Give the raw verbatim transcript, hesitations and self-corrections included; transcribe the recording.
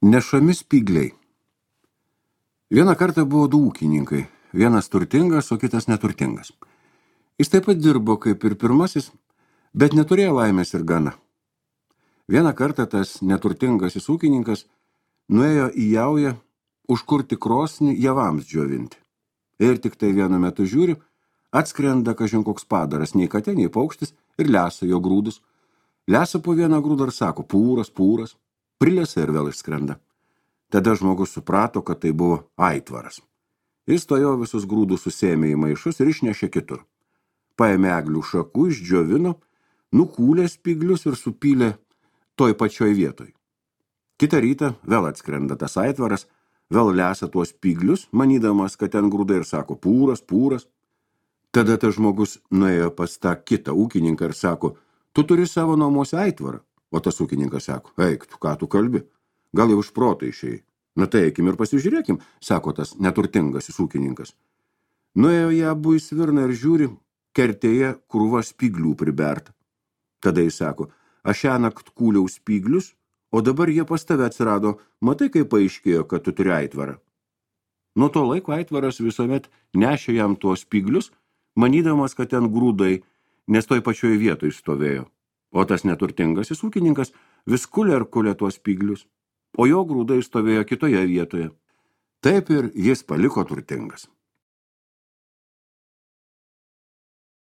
Nešami spygliai. Vieną kartą buvo du ūkininkai, vienas turtingas, o kitas neturtingas. Jis taip pat dirbo kaip ir pirmasis, bet neturėjo laimės ir gana. Vieną kartą tas neturtingasis ūkininkas nuėjo į jaują užkurti krosnį javams džiovinti. Ir tik tai vienu metu žiūri, atskrenda kažin koks padaras, nei katė, nei paukštis, ir lesa jo grūdus. Lesa po vieną grūdą ir sako, pūras, pūras, prilesa ir vėl išskrenda. Tada žmogus suprato, kad tai buvo aitvaras. Jis tojo visus grūdus susėmė į maišus ir išnešė kitur. Paėmė eglių šakų, išdžiovino, nukūlė spyglius ir supylė toj pačioj vietoj. Kitą rytą vėl atskrenda tas aitvaras, vėl lesa tuos spyglius, manydamas, kad ten grūdai ir sako, pūras, pūras. Tada tas žmogus nuėjo pas tą kitą ūkininką ir sako, tu turi savo namuose aitvarą. O tas ūkininkas sako, eik, tu ką tu kalbi? Gal jau iš proto išėjai? Na tai eikim ir pasižiūrėkim, sako tas neturtingasis ūkininkas. Nuėjo jie abu į svirną ir žiūri, kertėje krūva spyglių priberta. Tada jis sako, aš šiąnakt kūliau spyglius, o dabar jie pas tave atsirado, matai, kaip paaiškėjo, kad tu turi aitvarą. Nuo to laiko aitvaras visuomet nešė jam tuos spyglius, manydamas, kad ten grūdai, nes toj pačioj vietoj stovėjo. O tas neturtingasis ūkininkas vis kulė ir kulė tuos spyglius, o jo grūdai stovėjo kitoje vietoje. Taip ir jis paliko turtingas.